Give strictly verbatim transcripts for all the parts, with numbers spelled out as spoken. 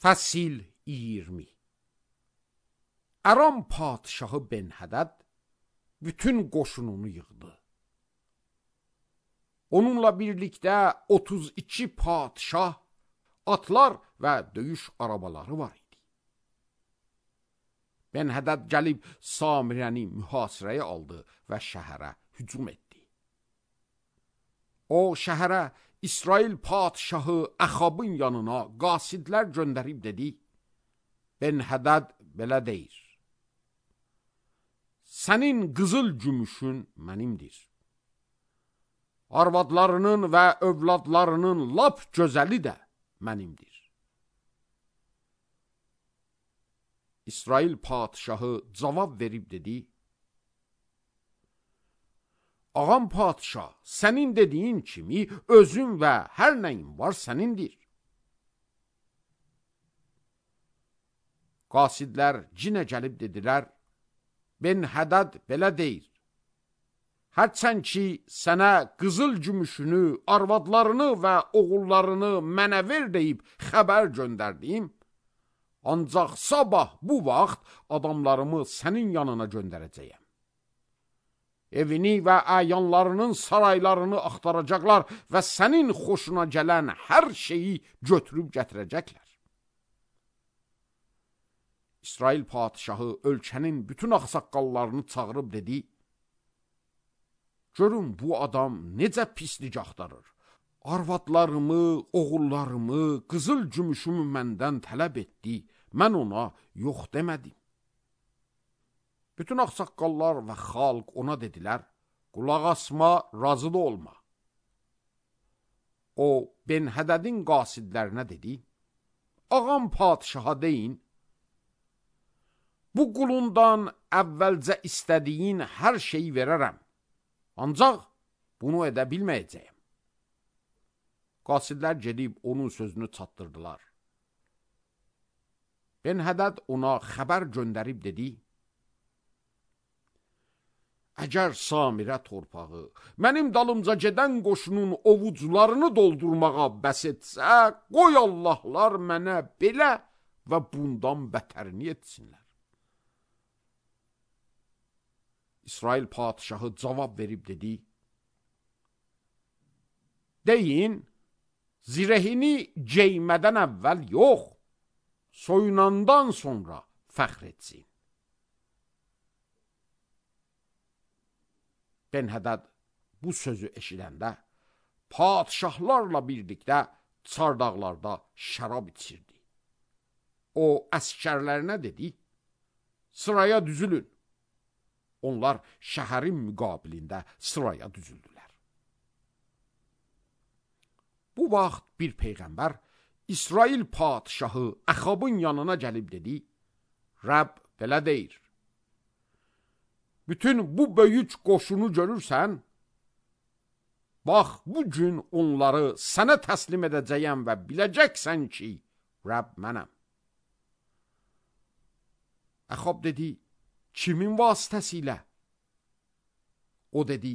Fəsil iyirmi. Aram padşahı Benhədəd bütün qoşununu yığdı. Onunla birlikdə otuz iki padşah, atlar və döyüş arabaları var idi. Benhədəd gəlib Samirəni mühasirəyə aldı və şəhərə hücum etdi. O şəhərə İsrail padşahı Əxabın yanına qasidlər göndərib dedi: Benhədəd belə deyir: Sənin qızıl gümüşün mənimdir. Arvadlarının və övladlarının lap gözəli də mənimdir. İsrail padşahı cavab verib dedi: Ağam padşah, sənin dediyin kimi özün və hər nəyin var sənindir. Qasidlər cinə gəlib dedilər: Benhədəd belə deyir: Hərçənd ki, sənə qızıl gümüşünü, arvadlarını və oğullarını mənə ver deyib xəbər göndərdim, ancaq sabah bu vaxt adamlarımı sənin yanına göndərəcəyəm. Evini və əyanlarının saraylarını axtaracaqlar və sənin xoşuna gələn hər şeyi götürüb gətirəcəklər. İsrail padşahı ölkənin bütün ağsaqqallarını çağırıb dedi: Görün bu adam necə pislik axtarır. Arvadlarımı, oğullarımı, qızıl gümüşümü məndən tələb etdi. Mən ona yox demədim. Bütün ağsaqqallar və xalq ona dedilər: Qulaq asma, razı da olma. O, Benhədədin qasidlərinə dedi: Ağam padşaha deyin, bu qulundan əvvəlcə istədiyin hər şeyi verərəm, ancaq bunu edə bilməyəcəyəm. Qasidlər gedib onun sözünü çatdırdılar. Benhədəd ona xəbər göndərib dedi: Əgər Samirə torpağı mənim dalımca gedən qoşunun ovucularını doldurmağa bəs etsə, qoy Allahlar mənə belə və bundan bətərini etsinlər. İsrail padşahı cavab verib dedi: Deyin, zirehini geymədən əvvəl yox, soyunandan sonra fəxr etsin. Benhədəd bu sözü eşidəndə padşahlarla birlikdə çardaqlarda şərab içirdi. O əskərlərinə dedi: Sıraya düzülün. Onlar şəhərin müqabilində sıraya düzüldülər. Bu vaxt bir peyğəmbər İsrail padşahı Əxabın yanına gəlib dedi: Rəbb belə deyir: Bütün bu böyük qoşunu görürsən, bax, bu gün onları sənə təslim edəcəyəm və biləcəksən ki, Rəbb mənəm. Əxab dedi: Kimin vasitəsilə? O dedi: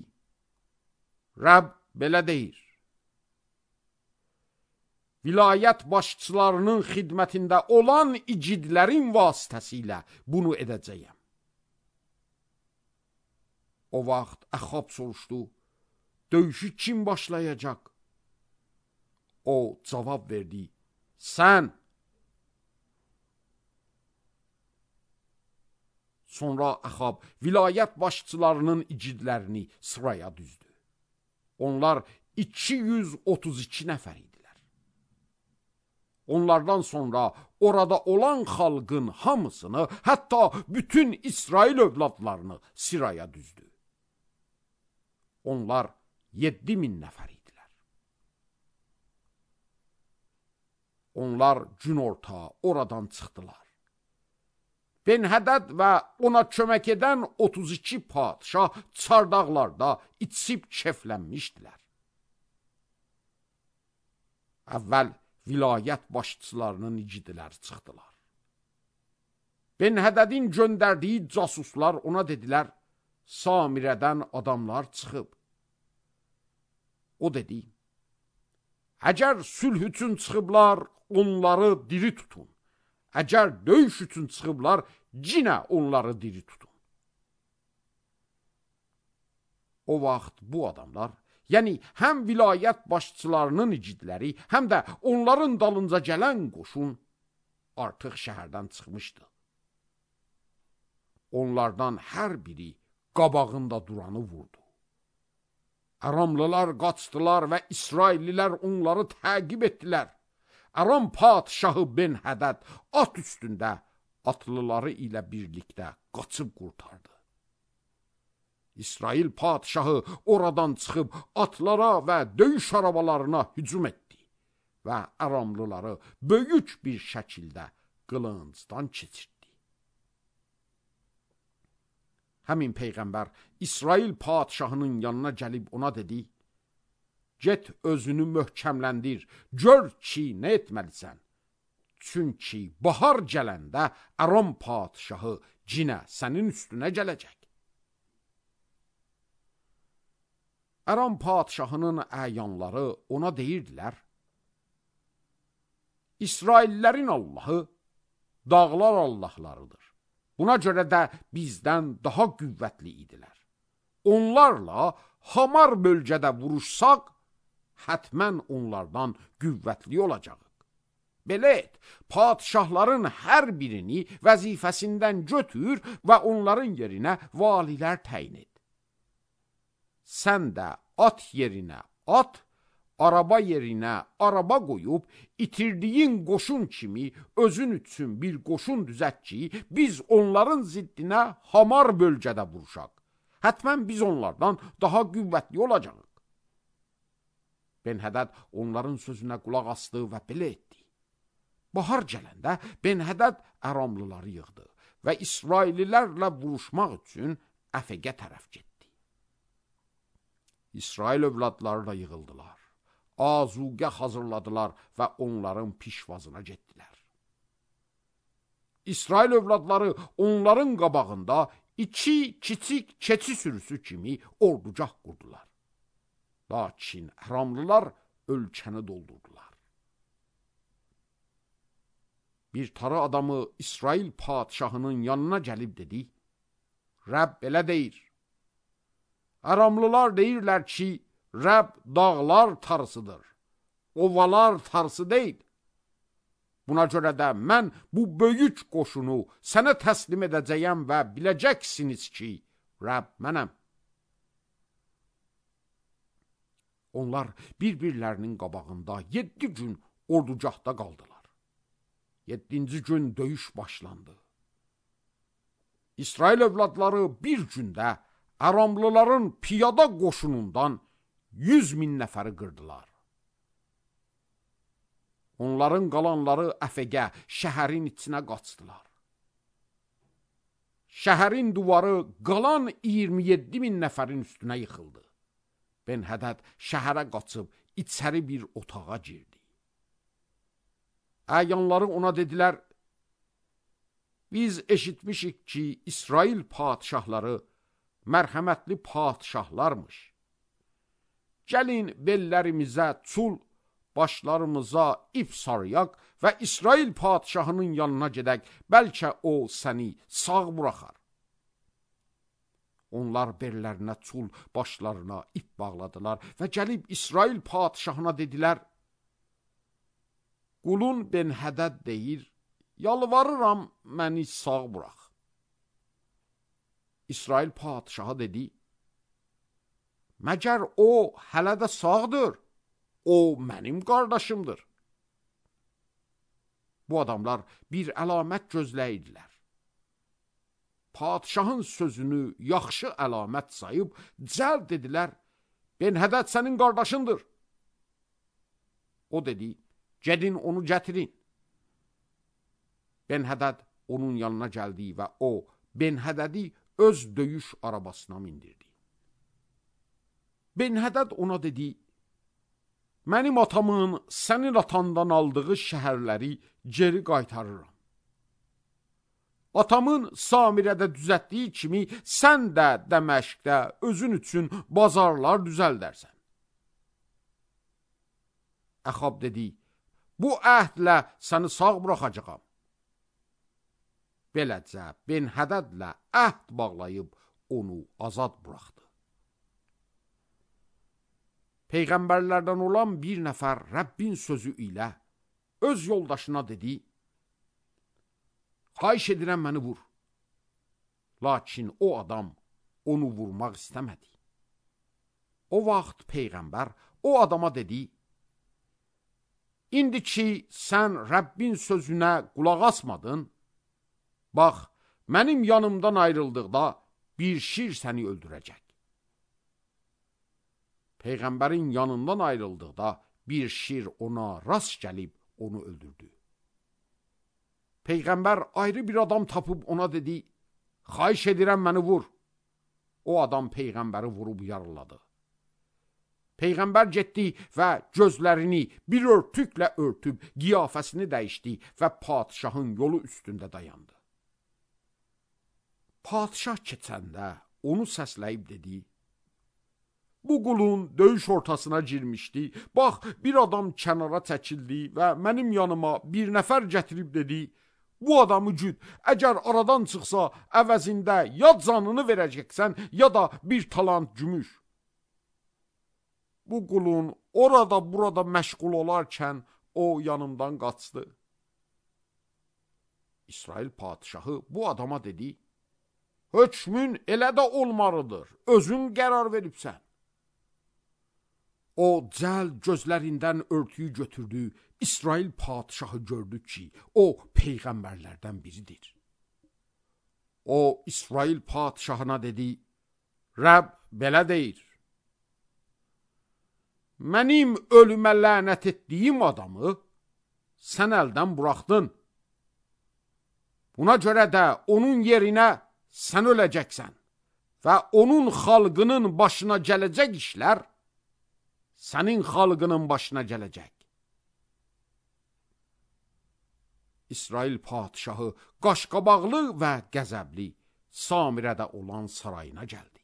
Rəbb belə deyir: Vilayət başçılarının xidmətində olan icidlərin vasitəsilə bunu edəcəyəm. O vaxt Əxab soruşdu: Döyüşü kim başlayacaq? O cavab verdi: Sən. Sonra Əxab vilayət başçılarının icidlərini sıraya düzdü. Onlar iki yüz otuz iki nəfər idilər. Onlardan sonra orada olan xalqın hamısını, hətta bütün İsrail övladlarını sıraya düzdü. Onlar yeddi min nəfər idilər. Onlar günorta oradan çıxdılar. Benhədəd və ona kömək edən otuz iki padşah çardaqlarda içib keflənmişdilər. Əvvəl vilayət başçılarının icidləri çıxdılar. Benhədədin göndərdiyi casuslar ona dedilər: Samirədən adamlar çıxıb. O dedi: Əgər sülh üçün çıxıblar, onları diri tutun. Əgər döyüş üçün çıxıblar, cinə onları diri tutun. O vaxt bu adamlar, yəni həm vilayət başçılarının igidləri, həm də onların dalınca gələn qoşun artıq şəhərdən çıxmışdı. Onlardan hər biri qabağında duranı vurdu. Aramlılar qaçdılar və İsraillilər onları təqib etdilər. Aram padşahı Ben-Hədəd at üstündə atlıları ilə birlikdə qaçıb qurtardı. İsrail padşahı oradan çıxıb atlara və döyüş arabalarına hücum etdi və Aramlıları böyük bir şəkildə qılıncdan keçirdi. Həmin Peyğəmbər İsrail padşahının yanına gəlib ona dedi, get özünü möhkəmləndir, gör ki, nə etməlisən. Çünki bahar gələndə Aram padşahı cinə sənin üstünə gələcək. Aram padşahının əyanları ona deyirdilər, İsraillərin Allahı dağlar Allahlarıdır. Buna görə də bizdən daha qüvvətli idilər. Onlarla hamar bölgədə vuruşsaq, hətmən onlardan qüvvətli olacaq. Belə et, padşahların hər birini vəzifəsindən götür və onların yerinə valilər təyin et. Sən də at yerinə at, araba yerinə araba qoyub, itirdiyin qoşun kimi özün üçün bir qoşun düzət ki, biz onların ziddinə hamar bölgədə vuruşaq. Hətmən biz onlardan daha qüvvətli olacaq. Ben-Hədəd onların sözünə qulaq asdı və belə etdi. Bahar gələndə Ben-Hədəd Aramlıları yığdı və İsraillilərlə vuruşmaq üçün Əfəqə tərəf getdi. İsrail övladları da yığıldılar. Azuqə hazırladılar və onların pişvazına getdilər. İsrail övladları onların qabağında iki kiçik keçi sürüsü kimi ordugah qurdular. Lakin Aramlılar ölkəni doldurdular. Bir tarı adamı İsrail padşahının yanına gəlib dedi, Rəbb belə deyir, Aramlılar deyirlər ki, Rəbb dağlar tarısıdır, ovalar tarısı deyil. Buna görə də mən bu böyük qoşunu sənə təslim edəcəyəm və biləcəksiniz ki, Rəbb mənəm. Onlar bir-birlərinin qabağında yeddi gün ordugahda qaldılar. Yeddinci gün döyüş başlandı. İsrail övladları bir gündə Aramlıların piyada qoşunundan yüz min nəfəri qırdılar. Onların qalanları Əfəqə, şəhərin içinə qaçdılar. Şəhərin duvarı qalan iyirmi yeddi min nəfərin üstünə yıxıldı. Ben-Hədəd şəhərə qaçıb içəri bir otağa girdi. Əyanları ona dedilər, biz eşitmişik ki, İsrail padşahları mərhəmətli padşahlarmış. Gəlin bellərimizə çul, başlarımıza ip sarıyaq və İsrail padşahının yanına gedək, bəlkə o səni sağ buraxar. Onlar bellərinə çul, başlarına ip bağladılar və gəlib İsrail padşahına dedilər, qulun Ben-Hədəd deyir, yalvarıram məni sağ burax. İsrail padşahı dedi, məgər o hələ də sağdır, o mənim qardaşımdır. Bu adamlar bir əlamət gözləyirdilər. Padşahın sözünü yaxşı əlamət sayıb, cəld dedilər, Ben-Hədəd sənin qardaşındır. O dedi, gedin onu gətirin. Ben-Hədəd onun yanına gəldi və o, Ben-Hədədi öz döyüş arabasına mindirdi. Ben-Hədəd ona dedi, mənim atamın sənin atandan aldığı şəhərləri geri qaytarıram. Atamın Samirədə düzətdiyi kimi sən də Dəməşqdə özün üçün bazarlar düzəldərsən. Əxab dedi, bu əhdlə səni sağ buraxacağam. Beləcə Ben-Hədədlə əhd bağlayıb onu azad buraxdı. Peyğəmbərlərdən olan bir nəfər Rəbbin sözü ilə öz yoldaşına dedi, xahiş edirəm məni vur. Lakin o adam onu vurmaq istəmədi. O vaxt Peyğəmbər o adama dedi, İndi ki, sən Rəbbin sözünə qulaq asmadın, bax, mənim yanımdan ayrıldıqda bir şir səni öldürəcək. Peyğəmbərin yanından ayrıldıqda bir şir ona rast gəlib onu öldürdü. Peyğəmbər ayrı bir adam tapıb ona dedi, xahiş edirəm məni vur. O adam Peyğəmbəri vurub yaraladı. Peyğəmbər getdi və gözlərini bir örtüklə örtüb, qiyafəsini dəyişdi və padişahın yolu üstündə dayandı. Padişah keçəndə onu səsləyib dedi, bu qulun döyüş ortasına girmişdi, bax, bir adam kənara çəkildi və mənim yanıma bir nəfər gətirib dedi, bu adamı güd, əgər aradan çıxsa, əvəzində ya canını verəcəksən, ya da bir talant gümüş. Bu qulun orada burada məşğul olarkən o yanımdan qaçdı. İsrail padişahı bu adama dedi, hökmün elə də olmalıdır, özün qərar veribsən. O cəld gözlərindən örtüyü götürdü, İsrail padişahı gördü ki, o peyğəmbərlərdən biridir. O İsrail padişahına dedi, Rəbb belə deyir, mənim ölümə lənət etdiyim adamı sən əldən buraxdın. Buna görə də onun yerinə sən öləcəksən və onun xalqının başına gələcək işlər sənin xalqının başına gələcək. İsrail padişahı qaşqabaqlı və qəzəbli Samirədə olan sarayına gəldi.